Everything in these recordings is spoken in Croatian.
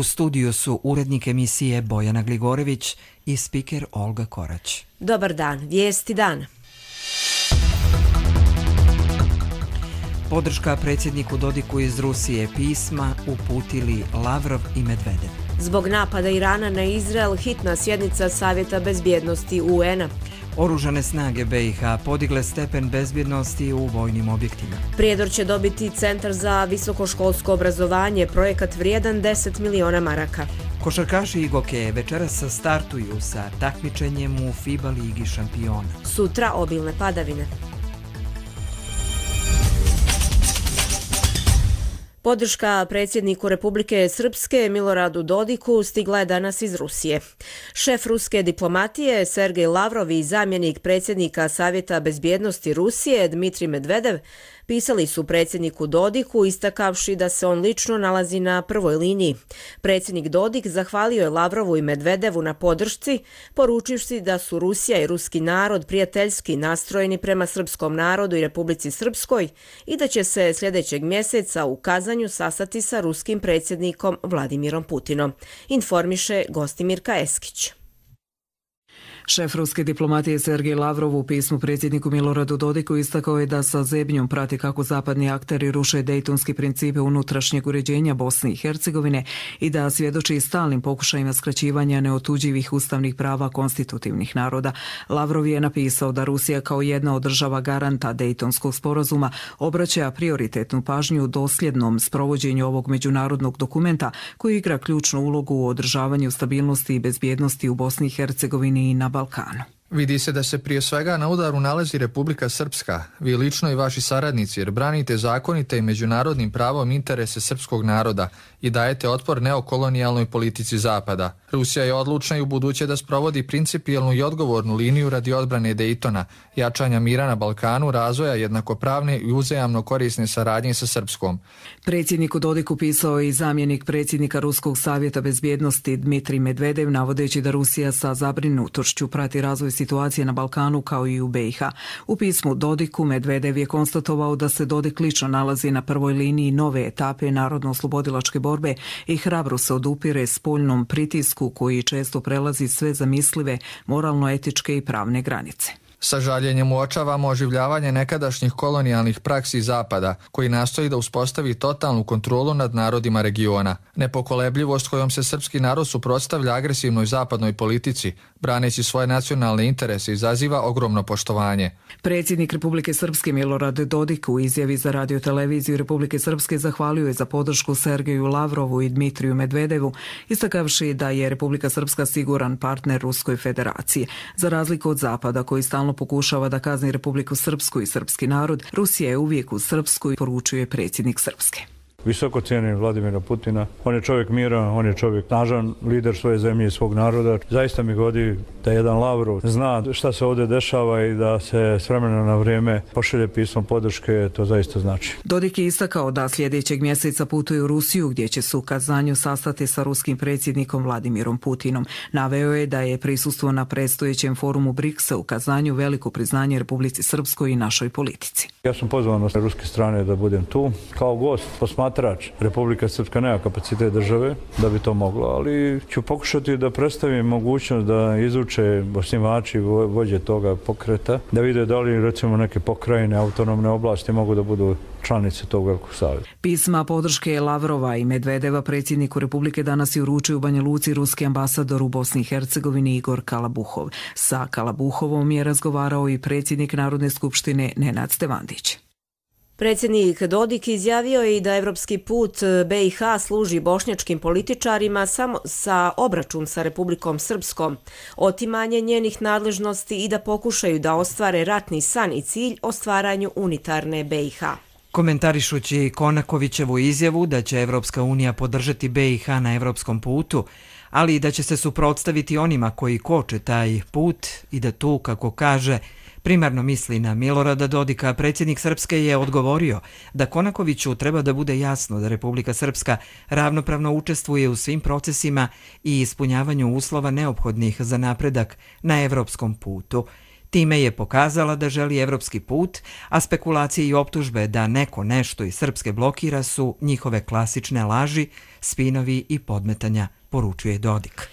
U studiju su urednik emisije Bojana Gligorević i spiker Olga Korać. Dobar dan, vijesti dana. Podrška predsjedniku Dodiku iz Rusije, pisma uputili Lavrov i Medvedev. Zbog napada Irana na Izrael, hitna sjednica Savjeta bezbjednosti UN-a. Oružane snage BiH podigle stepen bezbjednosti u vojnim objektima. Prijedor će dobiti Centar za visokoškolsko obrazovanje, projekat vrijedan 10 miliona maraka. Košarkaši i gokeje večeras startuju sa takmičenjem u FIBA ligi šampiona. Sutra obilne padavine. Podrška predsjedniku Republike Srpske Miloradu Dodiku stigla je danas iz Rusije. Šef ruske diplomatije Sergej Lavrov i zamjenik predsjednika Savjeta bezbjednosti Rusije Dmitrij Medvedev pisali su predsjedniku Dodiku istakavši da se on lično nalazi na prvoj liniji. Predsjednik Dodik zahvalio je Lavrovu i Medvedevu na podršci, poručivši da su Rusija i ruski narod prijateljski nastrojeni prema srpskom narodu i Republici Srpskoj i da će se sljedećeg mjeseca u Kazanju sastati sa ruskim predsjednikom Vladimirom Putinom, informiše Gostimirka Eskić. Šef ruske diplomatije Sergej Lavrov u pismu predsjedniku Miloradu Dodiku istakao je da sa zebnjom prati kako zapadni akteri ruše dejtonski principe unutrašnjeg uređenja Bosne i Hercegovine i da svjedoči stalnim pokušajima skraćivanja neotuđivih ustavnih prava konstitutivnih naroda. Lavrov je napisao da Rusija kao jedna od država garanta dejtonskog sporazuma obraća prioritetnu pažnju dosljednom sprovođenju ovog međunarodnog dokumenta koji igra ključnu ulogu u održavanju stabilnosti i bezbjednosti u Bosni i Hercegovini i na Balkanu. Vidi se da se prije svega na udaru nalazi Republika Srpska, vi lično i vaši saradnici, jer branite zakonite i međunarodnim pravom interese srpskog naroda i dajete otpor neokolonijalnoj politici Zapada. Rusija je odlučna i u buduće da sprovodi principijelnu i odgovornu liniju radi odbrane Dejtona, jačanja mira na Balkanu, razvoja jednakopravne i uzajamno korisne saradnje sa Srpskom. Predsjedniku Dodiku pisao je i zamjenik predsjednika Ruskog savjeta bezbjednosti Dmitrij Medvedev, navodeći da Rusija sa zabrinutošću prati razvoj situacije na Balkanu kao i u BiH. U pismu Dodiku Medvedev je konstatovao da se Dodik lično nalazi na prvoj liniji nove etape narodno-oslobodilačke borbe i hrabro se odupire spoljnom pritisku koji često prelazi sve zamislive moralno-etičke i pravne granice. Sa žaljenjem uočavamo oživljavanje nekadašnjih kolonijalnih praksi Zapada, koji nastoji da uspostavi totalnu kontrolu nad narodima regiona. Nepokolebljivost kojom se srpski narod suprotstavlja agresivnoj zapadnoj politici, braneći svoje nacionalne interese, izaziva ogromno poštovanje. Predsjednik Republike Srpske Milorad Dodik u izjavi za radioteleviziju Republike Srpske zahvalio je za podršku Sergeju Lavrovu i Dmitriju Medvedevu, istakavši da je Republika Srpska siguran partner Ruskoj federaciji. Za razliku od Zapada, koji stalno pokušava da kazni Republiku Srpsku i srpski narod, Rusija je uvijek u Srpsku, poručuje predsjednik Srpske. Visoko cijenim Vladimira Putina. On je čovjek mira, on je čovjek snažan, lider svoje zemlje i svog naroda. Zaista mi godi da jedan Lavrov zna šta se ovdje dešava i da se s vremena na vrijeme pošalje pismo podrške, to zaista znači. Dodik je istakao da sljedećeg mjeseca putuje u Rusiju, gdje će se u Kazanju sastati sa ruskim predsjednikom Vladimirom Putinom. Naveo je da je prisustvo na predstojećem forumu BRICS-a u Kazanju veliko priznanje Republici Srpskoj i našoj politici. Ja sam pozvan sa ruske strane da budem tu kao gost, posmatrač. Republika Srpska nema kapacitet države da bi to moglo, ali ću pokušati da predstavim mogućnost da izuče osnivači vođe toga pokreta, da vide da li recimo neke pokrajine, autonomne oblasti mogu da budu članice tog velikog saveza. Pisma podrške Lavrova i Medvedeva predsjedniku Republike danas je uručio u Banja Luci ruski ambasador u Bosni i Hercegovini Igor Kalabuhov. Sa Kalabuhovom je razgovarao i predsjednik Narodne skupštine Nenad Stevandić. Predsjednik Dodik izjavio je i da evropski put BiH služi bošnjačkim političarima samo za obračun sa Republikom Srpskom, otimanje njenih nadležnosti i da pokušaju da ostvare ratni san i cilj o stvaranju unitarne BiH. Komentarišući Konakovićevu izjavu da će Evropska unija podržati BiH na evropskom putu, ali i da će se suprotstaviti onima koji koče taj put i da tu, kako kaže, primarno misli na Milorada Dodika, predsjednik Srpske je odgovorio da Konakoviću treba da bude jasno da Republika Srpska ravnopravno učestvuje u svim procesima i ispunjavanju uslova neophodnih za napredak na evropskom putu. Time je pokazala da želi evropski put, a spekulacije i optužbe da neko nešto iz Srpske blokira su njihove klasične laži, spinovi i podmetanja, poručuje Dodik.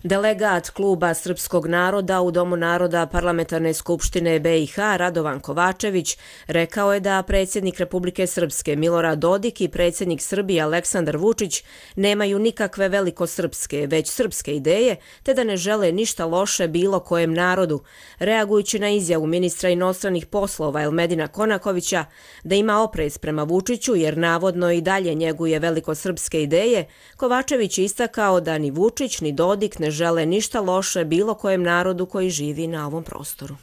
Delegat Kluba srpskog naroda u Domu naroda Parlamentarne skupštine BiH Radovan Kovačević rekao je da predsjednik Republike Srpske Milorad Dodik i predsjednik Srbije Aleksandar Vučić nemaju nikakve velikosrpske, već srpske ideje, te da ne žele ništa loše bilo kojem narodu. Reagujući na izjavu ministra inostranih poslova Elmedina Konakovića da ima oprez prema Vučiću jer navodno i dalje njeguje velikosrpske ideje, Kovačević je istakao da ni Vučić ni Dodik ne žele ništa loše bilo kojem narodu koji živi na ovom prostoru.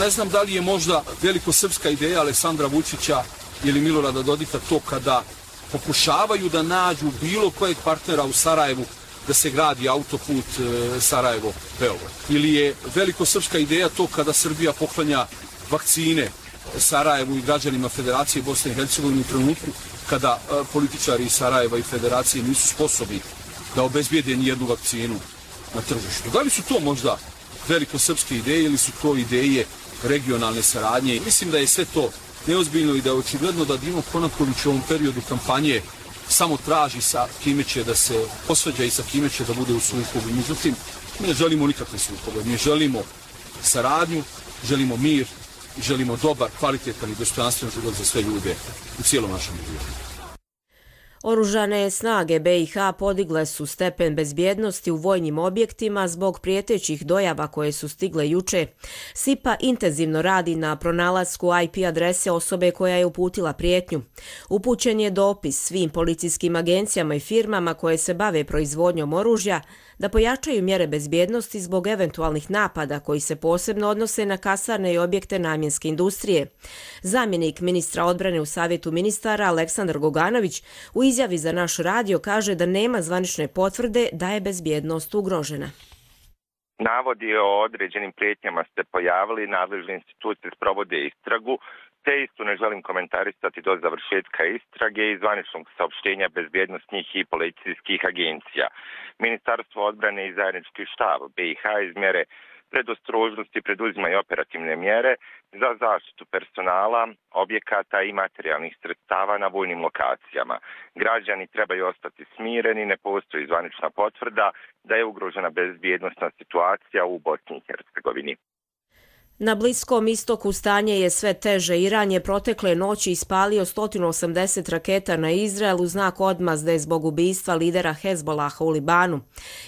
Ne znam da li je možda velikosrpska ideja Aleksandra Vučića ili Milorada Dodika to kada pokušavaju da nađu bilo kojeg partnera u Sarajevu da se gradi autoput Sarajevo-Beograd. Ili je velikosrpska ideja to kada Srbija poklanja vakcine Sarajevu i građanima Federacije Bosne i Hercegovine u trenutku kada političari iz Sarajeva i Federacije nisu sposobni da obezbijede nijednu vakcinu na tržištu. Da li su to možda velikosrpske ideje ili su to ideje regionalne saradnje? Mislim da je sve to neozbiljno i da je očigledno da Dino Konaković u ovom periodu kampanje samo traži sa kime će da se posvađa i sa kime će da bude u sukobu. Međutim, mi ne želimo nikakve sukobe. Mi želimo saradnju, želimo mir, želimo dobar, kvalitetan i dostojanstven život za sve ljude u cijelom našem regionu. Oružane snage BiH podigle su stepen bezbjednosti u vojnim objektima zbog prijetećih dojava koje su stigle juče. SIPA intenzivno radi na pronalasku IP adrese osobe koja je uputila prijetnju. Upućen je dopis svim policijskim agencijama i firmama koje se bave proizvodnjom oružja da pojačaju mjere bezbjednosti zbog eventualnih napada koji se posebno odnose na kasarne i objekte namjenske industrije. Zamjenik ministra odbrane u Savjetu ministara Aleksandar Goganović u izjavi za naš radio kaže da nema zvanične potvrde da je bezbjednost ugrožena. Navodi o određenim prijetnjama se pojavili, nadležne institucije sprovode istragu, te isto ne želim komentarisati do završetka istrage i zvaničnog saopštenja bezbjednosnih i policijskih agencija. Ministarstvo odbrane i zajednički štab BiH iz mjere predostrožnosti preduzimaju operativne mjere za zaštitu personala, objekata i materijalnih sredstava na vojnim lokacijama. Građani trebaju ostati smireni, ne postoji zvanična potvrda da je ugrožena bezbjednosna situacija u Bosni i Hercegovini. Na Bliskom istoku stanje je sve teže. Iran je protekle noći ispalio 180 raketa na Izrael u znak odmazde zbog ubistva lidera Hezbolaha u Libanu.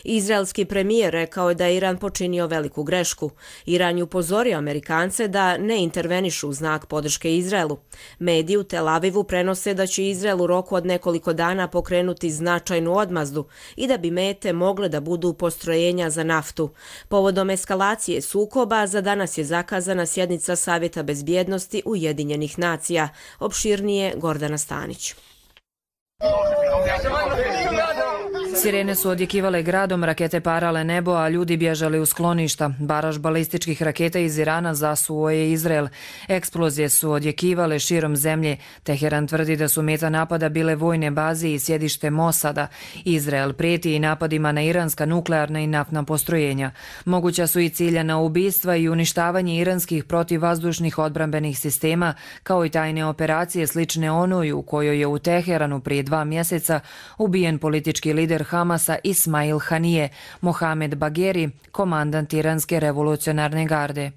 Izraelski premijer rekao je da je Iran počinio veliku grešku. Iran je upozorio Amerikance da ne intervenišu u znak podrške Izraelu. Mediji u Tel Avivu prenose da će Izrael u roku od nekoliko dana pokrenuti značajnu odmazdu i da bi mete mogle da budu postrojenja za naftu. Povodom eskalacije sukoba za danas je zakazana sjednica Savjeta bezbjednosti Ujedinjenih nacija. Opširnije Gordana Stanić. Sirene su odjekivale gradom, rakete parale nebo, a ljudi bježali u skloništa. Baraž balističkih raketa iz Irana zasuo je Izrael. Eksplozije su odjekivale širom zemlje. Teheran tvrdi da su meta napada bile vojne baze i sjedište Mosada. Izrael prijeti i napadima na iranska nuklearna i naftna postrojenja. Moguća su i ciljana ubistva i uništavanje iranskih protivvazdušnih odbrambenih sistema, kao i tajne operacije slične onoj u kojoj je u Teheranu prije 2 mjeseca ubijen politički lider Hamasa Ismail Hanije, Mohamed Bagheri, komandant Iranske revolucionarne garde.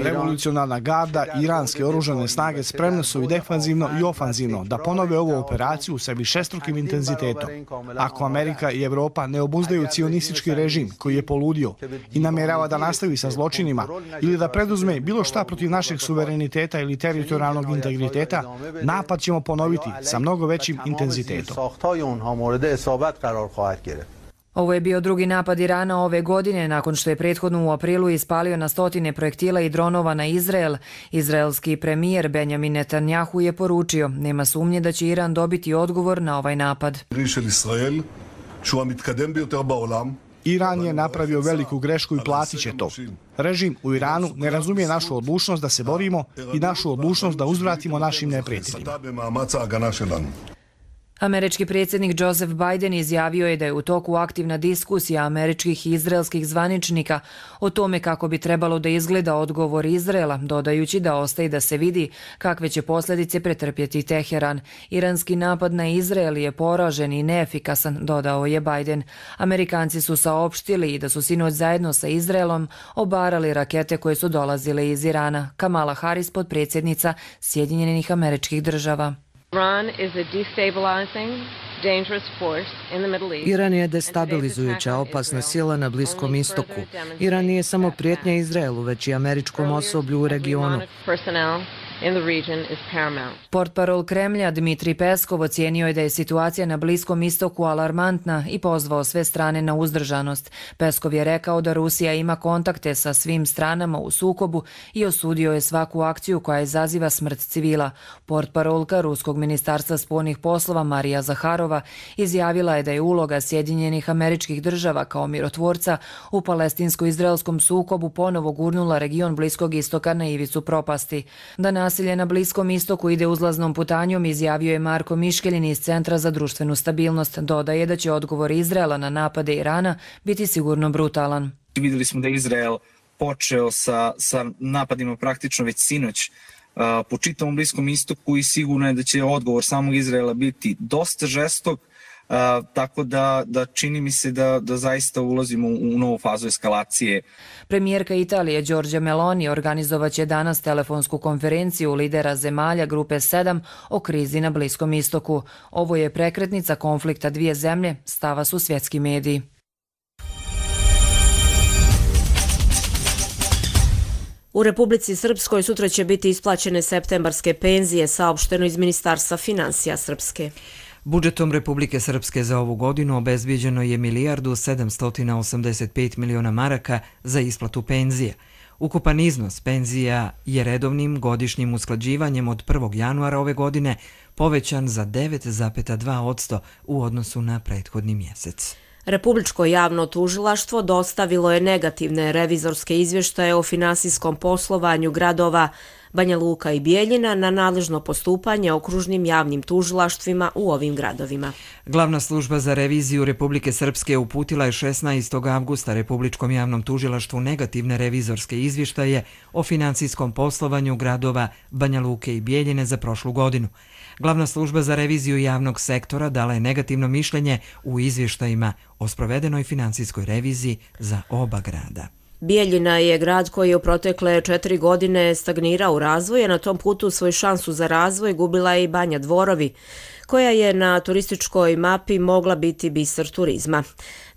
Revolucionarna garda i iranske oružane snage spremne su i defanzivno i ofanzivno da ponove ovu operaciju sa višestrukim intenzitetom. Ako Amerika i Evropa ne obuzdaju cionistički režim koji je poludio i namjerava da nastavi sa zločinima ili da preduzme bilo šta protiv našeg suvereniteta ili teritorijalnog integriteta, napad ćemo ponoviti sa mnogo većim intenzitetom. Ovo je bio drugi napad Irana ove godine, nakon što je prethodno u aprilu ispalio na stotine projektila i dronova na Izrael. Izraelski premijer Benjamin Netanjahu je poručio, nema sumnje da će Iran dobiti odgovor na ovaj napad. Iran je napravio veliku grešku i platit će to. Režim u Iranu ne razumije našu odlučnost da se borimo i našu odlučnost da uzvratimo našim neprijateljima. Američki predsjednik Joseph Biden izjavio je da je u toku aktivna diskusija američkih i izraelskih zvaničnika o tome kako bi trebalo da izgleda odgovor Izraela, dodajući da ostaje da se vidi kakve će posljedice pretrpjeti Teheran. Iranski napad na Izrael je poražen i neefikasan, dodao je Biden. Amerikanci su saopštili i da su sinoć zajedno sa Izraelom obarali rakete koje su dolazile iz Irana. Kamala Harris, potpredsjednica Sjedinjenih Američkih Država. Iran je destabilizujuća, opasna sila na Bliskom istoku. Iran nije samo prijetnja Izraelu, već i američkom osoblju u regionu. Portparol Kremlja Dmitrij Peskov ocijenio je da je situacija na Bliskom istoku alarmantna i pozvao sve strane na uzdržanost. Peskov je rekao da Rusija ima kontakte sa svim stranama u sukobu i osudio je svaku akciju koja izaziva smrt civila. Portparolka Ruskog ministarstva spoljnih poslova Marija Zaharova izjavila je da je uloga Sjedinjenih Američkih Država kao mirotvorca u palestinsko-izraelskom sukobu ponovo gurnula region Bliskog istoka na ivicu propasti. Da nasilje na Bliskom istoku ide uzlaznom putanjom, izjavio je Marko Miškeljin iz Centra za društvenu stabilnost. Dodaje da će odgovor Izraela na napade Irana biti sigurno brutalan. Vidjeli smo da je Izrael počeo sa napadima praktično već sinoć po čitavom Bliskom istoku i sigurno je da će odgovor samog Izraela biti dosta žestok, tako da čini mi se da zaista ulazimo u novu fazu eskalacije. Premijerka Italije Giorgia Meloni organizovaće danas telefonsku konferenciju lidera zemalja Grupe 7 o krizi na Bliskom istoku. Ovo je prekretnica konflikta dvije zemlje, stava su svjetski mediji. U Republici Srpskoj sutra će biti isplaćene septembarske penzije, saopšteno iz Ministarstva financija Srpske. Budžetom Republike Srpske za ovu godinu obezbijeđeno je 1.785.000.000 maraka za isplatu penzija. Ukupan iznos penzija je redovnim godišnjim usklađivanjem od 1. januara ove godine povećan za 9,2% u odnosu na prethodni mjesec. Republičko javno tužilaštvo dostavilo je negativne revizorske izvještaje o finansijskom poslovanju gradova Banja Luka i Bijeljina na nadležno postupanje okružnim javnim tužilaštvima u ovim gradovima. Glavna služba za reviziju Republike Srpske uputila je 16. avgusta Republičkom javnom tužilaštvu negativne revizorske izvještaje o finansijskom poslovanju gradova Banja Luke i Bijeljine za prošlu godinu. Glavna služba za reviziju javnog sektora dala je negativno mišljenje u izvještajima o sprovedenoj finansijskoj reviziji za oba grada. Bijeljina je grad koji je u protekle 4 godine stagnirao u razvoju, a na tom putu svoju šansu za razvoj gubila je i Banja Dvorovi, koja je na turističkoj mapi mogla biti biser turizma.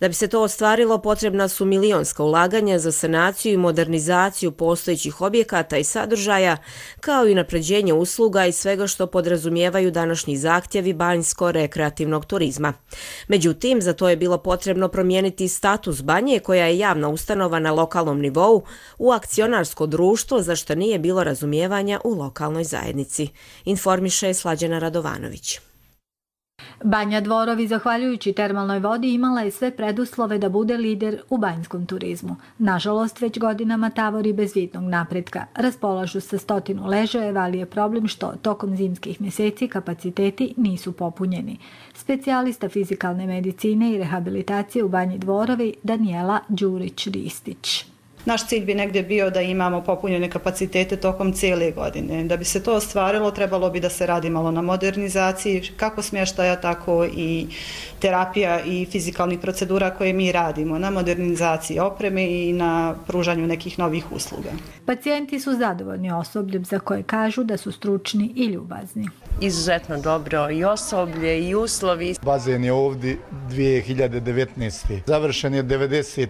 Da bi se to ostvarilo, potrebna su milionska ulaganja za sanaciju i modernizaciju postojećih objekata i sadržaja, kao i napređenje usluga i svega što podrazumijevaju današnji zahtjevi banjsko-rekreativnog turizma. Međutim, za to je bilo potrebno promijeniti status Banje, koja je javna ustanova na lokalnom nivou, u akcionarsko društvo, za što nije bilo razumijevanja u lokalnoj zajednici. Informiše Slađana Radovanović. Banja Dvorovi, zahvaljujući termalnoj vodi, imala je sve preduslove da bude lider u banjskom turizmu. Nažalost, već godinama tavori bez vidnog napretka. Raspolažu sa 100 ležajeva, ali je problem što tokom zimskih mjeseci kapaciteti nisu popunjeni. Specijalista fizikalne medicine i rehabilitacije u Banji Dvorovi Danijela Đurić-Ristić. Naš cilj bi negdje bio da imamo popunjene kapacitete tokom cijele godine. Da bi se to ostvarilo, trebalo bi da se radi malo na modernizaciji, kako smještaja, tako i terapija i fizikalnih procedura koje mi radimo, na modernizaciji opreme i na pružanju nekih novih usluga. Pacijenti su zadovoljni osobljem za koje kažu da su stručni i ljubazni. Izuzetno dobro i osoblje i uslovi. Bazen je ovdje 2019. Završen je 90%.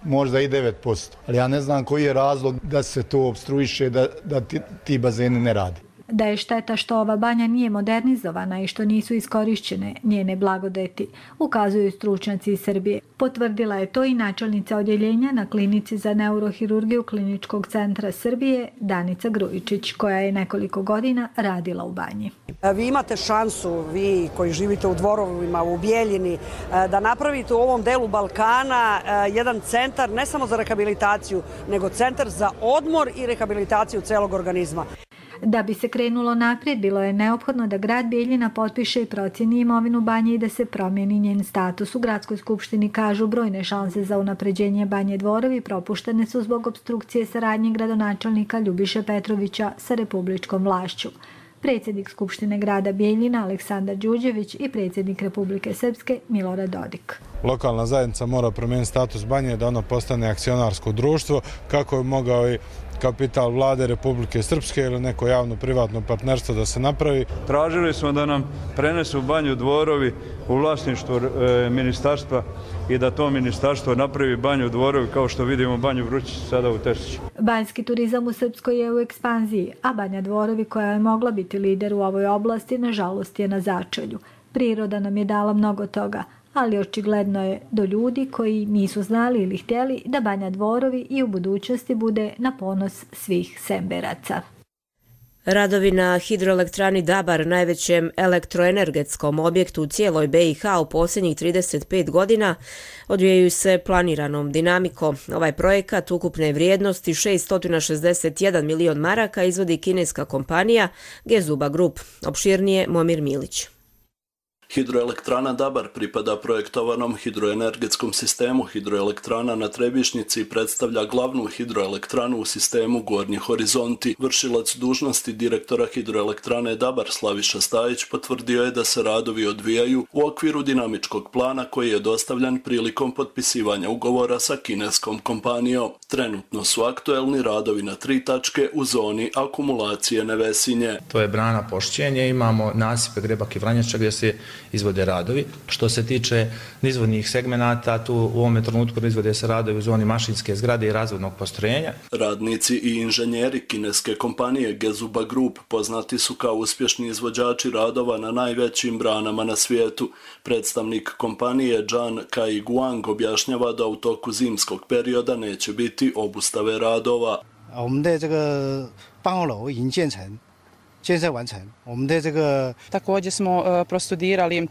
Možda i 9%. Ali ja ne znam koji je razlog da se to obstruiše, da ti bazeni ne rade. Da je šteta što ova banja nije modernizovana i što nisu iskorišćene njene blagodeti, ukazuju stručnjaci iz Srbije. Potvrdila je to i načelnica odjeljenja na klinici za neurohirurgiju Kliničkog centra Srbije Danica Grujičić, koja je nekoliko godina radila u banji. Vi imate šansu, vi koji živite u Dvorovima, u Bijeljini, da napravite u ovom delu Balkana jedan centar ne samo za rehabilitaciju, nego centar za odmor i rehabilitaciju celog organizma. Da bi se krenulo naprijed, bilo je neophodno da grad Bijeljina potpiše i procjeni imovinu Banje i da se promijeni njen status. U gradskoj skupštini kažu brojne šanse za unapređenje Banje Dvorovi propuštene su zbog opstrukcije saradnje gradonačelnika Ljubiše Petrovića sa republičkom vlašću. Predsjednik Skupštine grada Bijeljina Aleksandar Đuđević i predsjednik Republike Srpske Milorad Dodik. Lokalna zajednica mora promijeniti status Banje da ono postane akcionarsko društvo kako je mogao i kapital vlade Republike Srpske ili neko javno-privatno partnerstvo da se napravi. Tražili smo da nam prenesu Banju Dvorovi u vlasništvo ministarstva i da to ministarstvo napravi Banju Dvorovi kao što vidimo Banju Vrućić sada u Terziću. Banjski turizam u Srpskoj je u ekspanziji, a Banja Dvorovi koja je mogla biti lider u ovoj oblasti nažalost je na začelju. Priroda nam je dala mnogo toga, ali očigledno je do ljudi koji nisu znali ili htjeli da Banja Dvorovi i u budućnosti bude na ponos svih Semberaca. Radovi na hidroelektrani Dabar, najvećem elektroenergetskom objektu u cijeloj BiH u posljednjih 35 godina, odvijaju se planiranom dinamikom. Ovaj projekat ukupne vrijednosti 661 milion maraka izvodi kineska kompanija Gezuba Group. Opširnije Momir Milić. Hidroelektrana Dabar pripada projektovanom hidroenergetskom sistemu hidroelektrana na Trebišnjici i predstavlja glavnu hidroelektranu u sistemu Gornji Horizonti. Vršilac dužnosti direktora hidroelektrane Dabar Slaviša Stajić potvrdio je da se radovi odvijaju u okviru dinamičkog plana koji je dostavljan prilikom potpisivanja ugovora sa kineskom kompanijom. Trenutno su aktuelni radovi na 3 tačke u zoni akumulacije Nevesinje. To je brana Pošćenje, imamo nasipe Grebak i Vranjača gdje se izvode radovi. Što se tiče nizvodnih segmenata, tu u ovome trenutku izvode se radovi u zoni mašinske zgrade i razvodnog postrojenja. Radnici i inženjeri kineske kompanije Gezuba Group poznati su kao uspješni izvođači radova na najvećim branama na svijetu. Predstavnik kompanije Zhan Kai-Guang objašnjava da u toku zimskog perioda neće biti obustave radova. Također smo prostudirali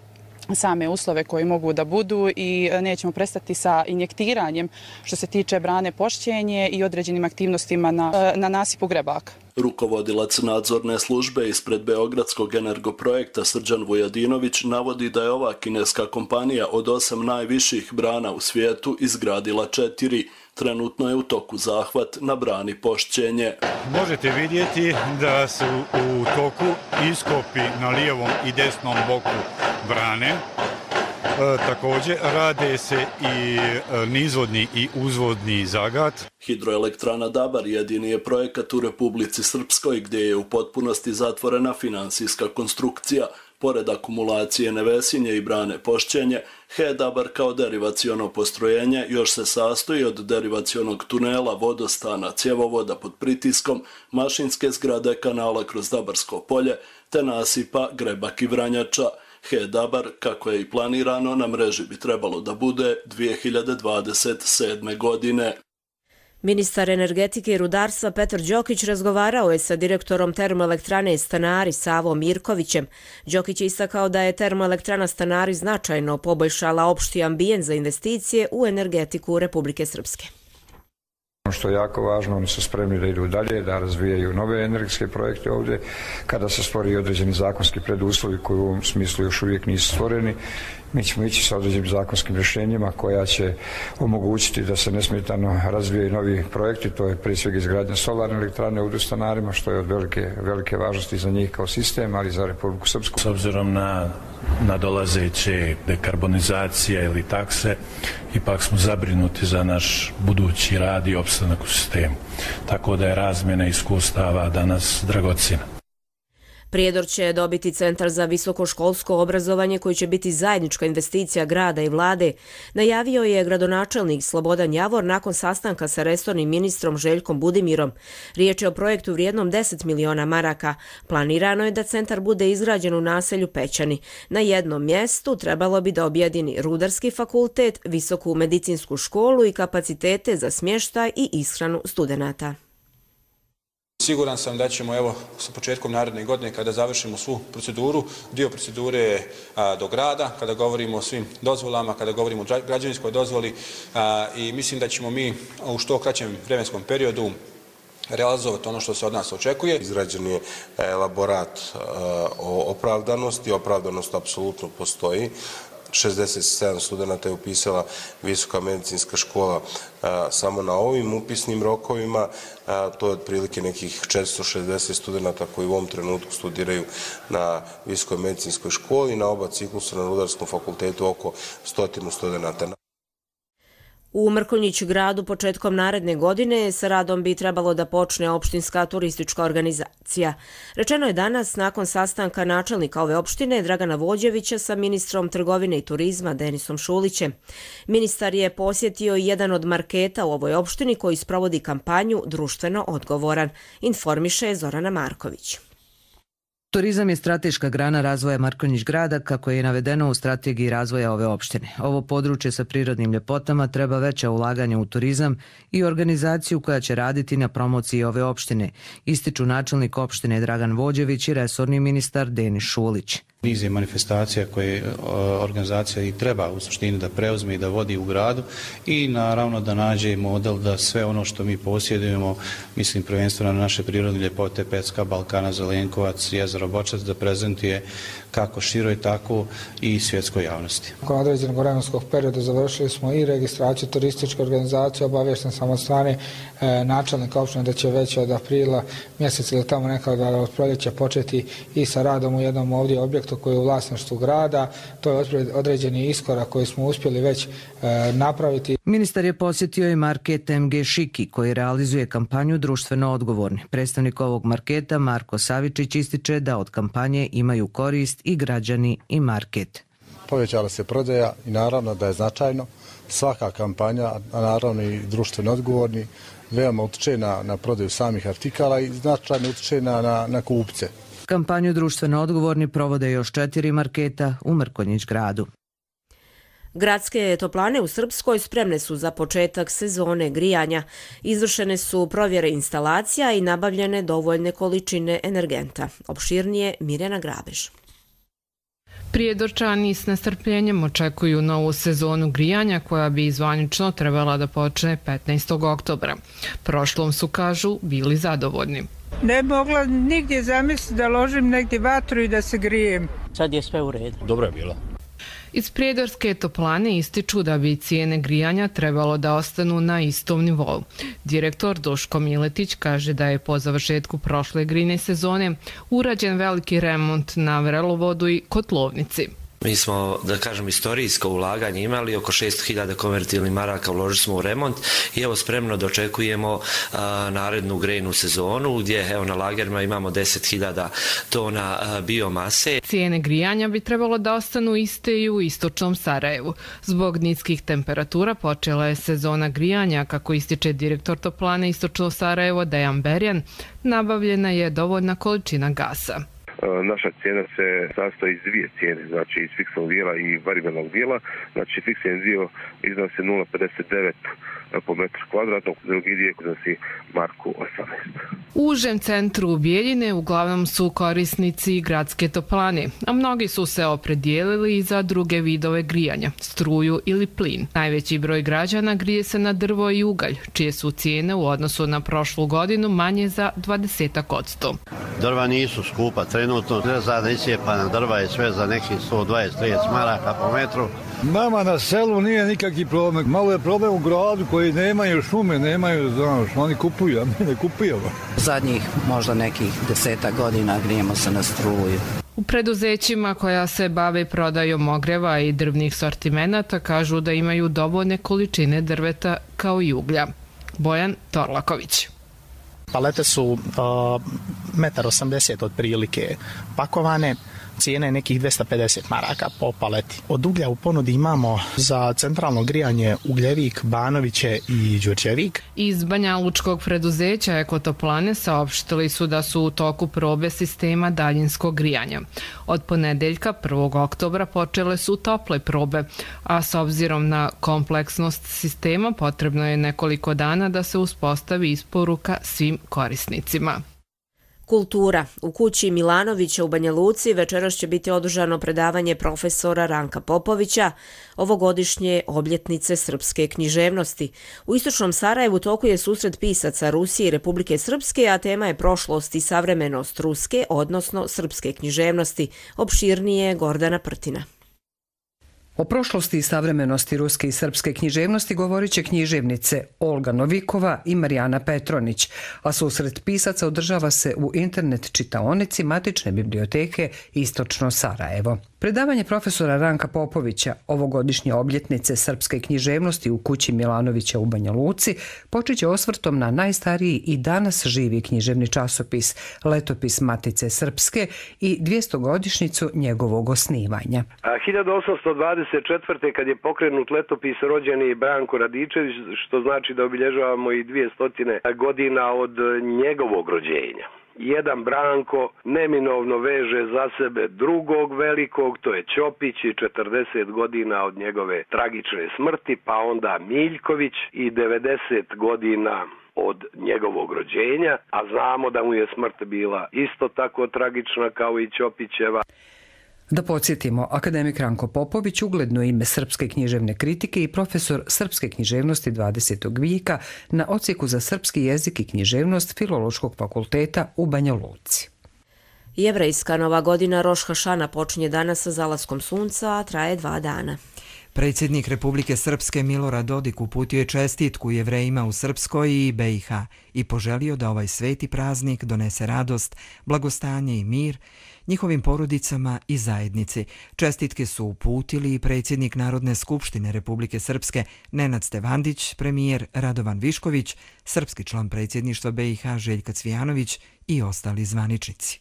same uslove koji mogu da budu i nećemo prestati sa injektiranjem što se tiče brane Pošćenje i određenim aktivnostima na nasipu Grebaka. Rukovodilac nadzorne službe ispred Beogradskog energoprojekta Srđan Vujadinović navodi da je ova kineska kompanija od 8 najviših brana u svijetu izgradila 4. Trenutno je u toku zahvat na brani Pošćenje. Možete vidjeti da su u toku iskopi na lijevom i desnom boku brane. Također rade se i nizvodni i uzvodni zagat. Hidroelektrana Dabar jedini je projekat u Republici Srpskoj gdje je u potpunosti zatvorena finansijska konstrukcija. Pored akumulacije Nevesinje i brane Pošćenje, HE Dabar kao derivaciono postrojenje još se sastoji od derivacionog tunela, vodostana, cjevovoda pod pritiskom, mašinske zgrade kanala kroz Dabarsko polje te nasipa Grebak i Vranjača. HE Dabar, kako je i planirano, na mreži bi trebalo da bude 2027. godine. Ministar energetike i rudarstva Petar Đokić razgovarao je sa direktorom termoelektrane Stanari Savom Mirkovićem. Đokić je istakao da je termoelektrana Stanari značajno poboljšala opšti ambijent za investicije u energetiku Republike Srpske. Ono što je jako važno, oni su spremni da idu dalje, da razvijaju nove energetske projekte ovdje. Kada se stvori određeni zakonski preduslovi koji u ovom smislu još uvijek nisu stvoreni, mi ćemo ići sa određenim zakonskim rješenjima koja će omogućiti da se nesmetano razvijaju novi projekti. To je prije svega izgradnja solarne elektrane u Stanarima, što je od velike važnosti za njih kao sistem, ali i za Republiku Srpsku. S obzirom na nadolazeće dekarbonizacije ili takse, ipak smo zabrinuti za naš budući rad i opstanak u sistemu. Tako da je razmjena iskustava danas dragocjena. Prijedor će dobiti Centar za visokoškolsko obrazovanje koji će biti zajednička investicija grada i vlade, najavio je gradonačelnik Slobodan Javor nakon sastanka sa resornim ministrom Željkom Budimirom. Riječ je o projektu vrijednom 10 miliona maraka. Planirano je da centar bude izgrađen u naselju Pećani. Na jednom mjestu trebalo bi da objedini Rudarski fakultet, Visoku medicinsku školu i kapacitete za smještaj i ishranu studenata. Siguran sam da ćemo evo sa početkom naredne godine kada završimo svu proceduru, dio procedure je do grada, kada govorimo o svim dozvolama, kada govorimo o građevinskoj dozvoli i mislim da ćemo mi u što kraćem vremenskom periodu realizovati ono što se od nas očekuje. Izrađen je elaborat o opravdanosti. Opravdanost apsolutno postoji. 67 studenta je upisala Visoka medicinska škola samo na ovim upisnim rokovima. To je otprilike nekih 460 studenta koji u ovom trenutku studiraju na Visokoj medicinskoj školi. Na oba ciklusa na Rudarskom fakultetu oko 100 studenta. U Mrkonjić gradu početkom naredne godine sa radom bi trebalo da počne opštinska turistička organizacija. Rečeno je danas nakon sastanka načelnika ove opštine Dragana Vođevića sa ministrom trgovine i turizma Denisom Šulićem. Ministar je posjetio jedan od marketa u ovoj opštini koji sprovodi kampanju Društveno odgovoran, informiše Zorana Marković. Turizam je strateška grana razvoja Mrkonjić grada, kako je navedeno u strategiji razvoja ove opštine. Ovo područje sa prirodnim ljepotama treba veća ulaganja u turizam i organizaciju koja će raditi na promociji ove opštine, ističu načelnik opštine Dragan Vođević i resorni ministar Denis Šulić. Niz je manifestacija koje organizacija i treba u suštini da preuzme i da vodi u gradu i naravno da nađe model da sve ono što mi posjedujemo, mislim prvenstveno na naše prirodne ljepote, Pecka, Balkana, Zelenkovac, jezero Bočac, da prezentuje kako široj, tako i svjetskoj javnosti. Nakon određenog vremenskog perioda završili smo i registraciju turističke organizacije, obavješten sam od strane načelnika opštine da će već od aprila mjeseca ili tamo nekada od proljeća početi i sa radom u jednom ovdje objektu koji je u vlasništvu grada. To je određeni iskorak koji smo uspjeli već napraviti. Ministar je posjetio i market MG Šiki koji realizuje kampanju Društveno odgovorni. Predstavnik ovog marketa Marko Savičić ističe da od kampanje imaju korist i građani i market. Povećala se prodaja i naravno da je značajno. Svaka kampanja, a naravno i društveno odgovorni, veoma utiče na prodaju samih artikala i značajno utiče na kupce. Kampanju Društveno odgovorni provode još 4 marketa u Mrkonjić gradu. Gradske toplane u Srpskoj spremne su za početak sezone grijanja. Izvršene su provjere instalacija i nabavljene dovoljne količine energenta. Opširnije Mirjana Grabež. Prijedorčani s nestrpljenjem očekuju novu sezonu grijanja koja bi zvanično trebala da počne 15. oktobra. Prošlom su, kažu, bili zadovoljni. Ne mogla nigdje zamisliti da ložim negdje vatru i da se grijem. Sad je sve u redu. Dobro je bila. Iz Prijedorske toplane ističu da bi cijene grijanja trebalo da ostanu na istom nivou. Direktor Duško Miletić kaže da je po završetku prošle grijne sezone urađen veliki remont na vrelovodu i kotlovnici. Mi smo, da kažem, istorijsko ulaganje imali, oko 600.000 konvertibilnih maraka uložili smo u remont i evo spremno dočekujemo narednu grejnu sezonu gdje evo na lagerima imamo 10.000 tona biomase. Cijene grijanja bi trebalo da ostanu iste i u istočnom Sarajevu. Zbog niskih temperatura počela je sezona grijanja, kako ističe direktor toplane istočno Sarajevo Dejan Berjan, nabavljena je dovoljna količina gasa. Naša cijena se sastoji iz dvije cijene, znači iz fiksnog dijela i variabilnog dijela. Znači fiksni dio iznosi 0,59 po metru kvadratnog, drugi dio iznosi marku 18. U užem centru Bijeljine uglavnom su korisnici gradske toplane, a mnogi su se opredijelili i za druge vidove grijanja, struju ili plin. Najveći broj građana grije se na drvo i ugalj, čije su cijene u odnosu na prošlu godinu manje za 20%. Drva nisu skupa trenutno, za iscijepana drva je sve za nekih 120-30 maraka po metru. Nama na selu nije nikakvi problem. Malo je problem u gradu koji nemaju šume, nemaju, znaš, oni kupuju, a mi ne kupujemo. Zadnjih možda nekih 10 godina grijemo se na struju. U preduzećima koja se bave prodajom ogreva i drvnih sortimenata kažu da imaju dovoljne količine drveta kao i uglja. Bojan Torlaković. Palete su 1,80 m otprilike pakovane, cijene nekih 250 maraka po paleti. Od uglja u ponudi imamo za centralno grijanje Ugljevik, Banoviće i Đurđevik. Iz banjalučkog preduzeća Ekotoplane saopštili su da su u toku probe sistema daljinskog grijanja. Od ponedeljka 1. oktobra počele su tople probe, a s obzirom na kompleksnost sistema potrebno je nekoliko dana da se uspostavi isporuka svim korisnicima. Kultura. U kući Milanovića u Banja Luci večeras će biti održano predavanje profesora Ranka Popovića ovogodišnje obljetnice srpske književnosti. U istočnom Sarajevu toku je susret pisaca Rusije i Republike Srpske, a tema je prošlost i savremenost ruske, odnosno srpske književnosti. Opširnije Gordana Prtina. O prošlosti i savremenosti ruske i srpske književnosti govorit će književnice Olga Novikova i Marijana Petronić, a susret pisaca održava se u internet čitaonici Matične biblioteke Istočno Sarajevo. Predavanje profesora Ranka Popovića ovogodišnje obljetnice srpske književnosti u kući Milanovića u Banja Luci počeće osvrtom na najstariji i danas živi književni časopis Letopis Matice Srpske i 200-godišnjicu njegovog osnivanja. 1824. kad je pokrenut letopis, rođen je Branko Radičević, što znači da obilježavamo i 200 godina od njegovog rođenja. Jedan Branko neminovno veže za sebe drugog velikog, to je Ćopić, i 40 godina od njegove tragične smrti, pa onda Miljković i 90 godina od njegovog rođenja, a znamo da mu je smrt bila isto tako tragična kao i Ćopićeva. Da podsjetimo, akademik Ranko Popović ugledno ime srpske književne kritike i profesor srpske književnosti 20. vijeka na odsjeku za srpski jezik i književnost Filološkog fakulteta u Banja Luci. Jevrejska nova godina Roš Hašana počinje danas sa zalaskom sunca, a traje 2 dana. Predsjednik Republike Srpske Milorad Dodik uputio je čestitku Jevrejima u Srpskoj i BiH i poželio da ovaj sveti praznik donese radost, blagostanje i mir njihovim porodicama i zajednici. Čestitke su uputili i predsjednik Narodne skupštine Republike Srpske Nenad Stevandić, premijer Radovan Višković, srpski član predsjedništva BiH Željka Cvijanović i ostali zvaničnici.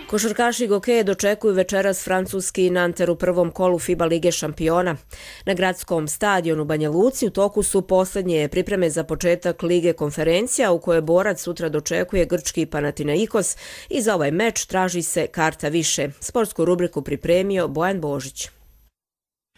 Košarkaši Gokeje dočekuju večeras francuski Nanter u prvom kolu FIBA Lige šampiona. Na gradskom stadionu Banja Luci u toku su posljednje pripreme za početak Lige konferencija u kojoj borac sutra dočekuje grčki Panathinaikos i za ovaj meč traži se karta više. Sportsku rubriku pripremio Bojan Božić.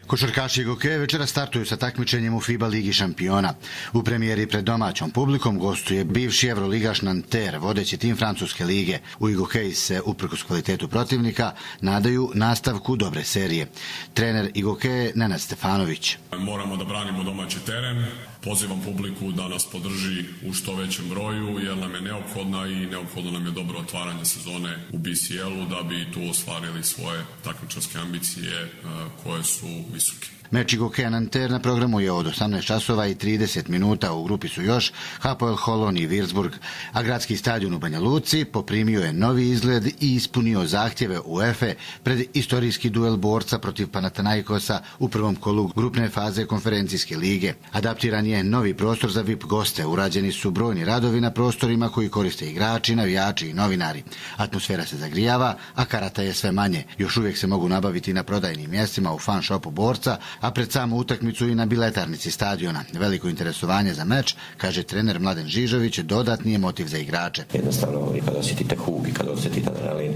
Košarkaši Gokeje večera startuju sa takmičenjem u FIBA Ligi šampiona. U premijeri pred domaćom publikom gostuje bivši evroligaš Nanter, vodeći tim francuske lige. U Gokeji se, uprkos kvalitetu protivnika, nadaju nastavku dobre serije. Trener Gokeje Nenad Stefanović. Moramo da branimo domaći teren. Pozivam publiku da nas podrži u što većem broju, jer nam je neophodna i neophodno nam je dobro otvaranje sezone u BCL-u da bi tu ostvarili svoje takmičarske ambicije koje su visoke. Meč Gokeja Nanter na programu je od 18 časova i 30 minuta. U grupi su još Hapoel Holon i Würzburg, a gradski stadion u Banja Luci poprimio je novi izgled i ispunio zahtjeve UEFA pred istorijski duel borca protiv Panathinaikosa u prvom kolu grupne faze konferencijske lige. Adaptiran je novi prostor za VIP goste, urađeni su brojni radovi na prostorima koji koriste igrači, navijači i novinari. Atmosfera se zagrijava, a karata je sve manje. Još uvijek se mogu nabaviti na prodajnim mjestima u fan shopu borca, a pred samu utakmicu i na biletarnici stadiona. Veliko interesovanje za meč, kaže trener Mladen Žižović, dodatni je motiv za igrače. Jednostavno, kada osjetite hug i kada osjetite adrenalin,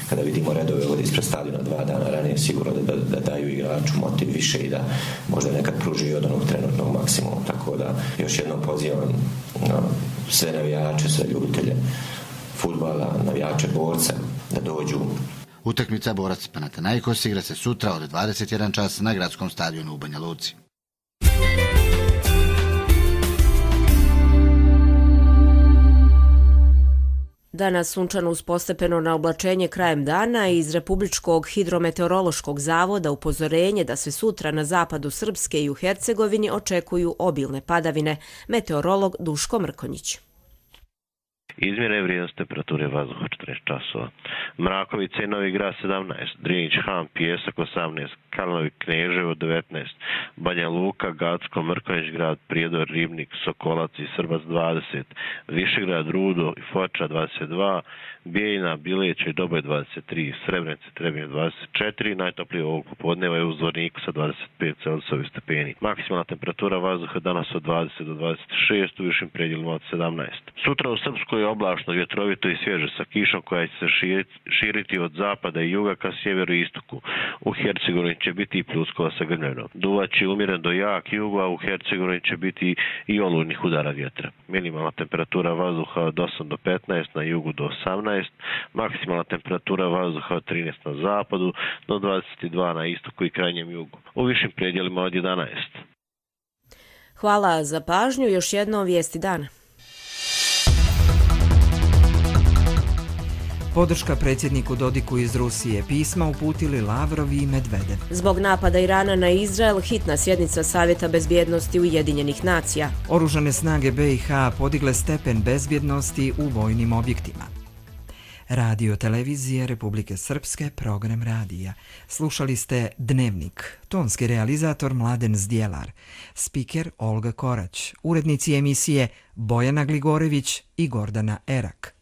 kada vidimo redove ovdje ispred stadiona 2 dana ranije, sigurno da daju igraču motiv više i da možda nekad pruži od onog trenutnog maksimuma. Tako da još jednom pozivam sve navijače, sve ljubitelje fudbala, navijače borca da dođu. Utakmica borac Panathinaikos igra se sutra od 21 čas na gradskom stadionu u Banja Luci. Danas sunčano uz postepeno na oblačenje krajem dana i iz Republičkog hidrometeorološkog zavoda upozorenje da se sutra na zapadu Srpske i u Hercegovini očekuju obilne padavine. Meteorolog Duško Mrkonjić. Izmjene vrijednost temperature vazduha 14 časova. Mrakovica i Novi Grad 17, Drinić, Han, Pijesak 18, Kalinovi, Kneževo 19, Banja Luka, Gacko, Mrkonjić grad, Prijedor, Ribnik, Sokolac i Srbac 20, Višegrad, Rudo i Foča 22, Bijeljina, Bileća i Doboj 23, Srebrenice, Trebinje 24, najtoplije ovog popodneva je u Zvorniku sa 25 Celzijevih stepeni. Maksimalna temperatura vazduha danas od 20 do 26, u višim predjelima od 17. Sutra u Srpskoj je oblačno, vjetrovito i svježe sa kišom koja će se širiti od zapada i juga ka sjeveru i istoku. U Hercegovini će biti i pljuskova sa grmljenom. Duvaće umjeren do jak jugo, a u Hercegovini će biti i olujnih udara vjetra. Minimalna temperatura vazduha od 8 do 15, na jugu do 18, maksimalna temperatura vazduha od 13 na zapadu do 22 na istoku i krajnjem jugu. U višim predjelima od 11. Hvala za pažnju. Još jednom vijesti dana. Podrška predsjedniku Dodiku iz Rusije, pisma uputili Lavrov i Medvedev. Zbog napada Irana na Izrael, hitna sjednica Savjeta bezbjednosti Ujedinjenih nacija. Oružane snage BiH podigle stepen bezbjednosti u vojnim objektima. Radio televizije Republike Srpske, program radija. Slušali ste Dnevnik, tonski realizator Mladen Zdjelar, spiker Olga Korać, urednici emisije Bojana Gligorević i Gordana Erak.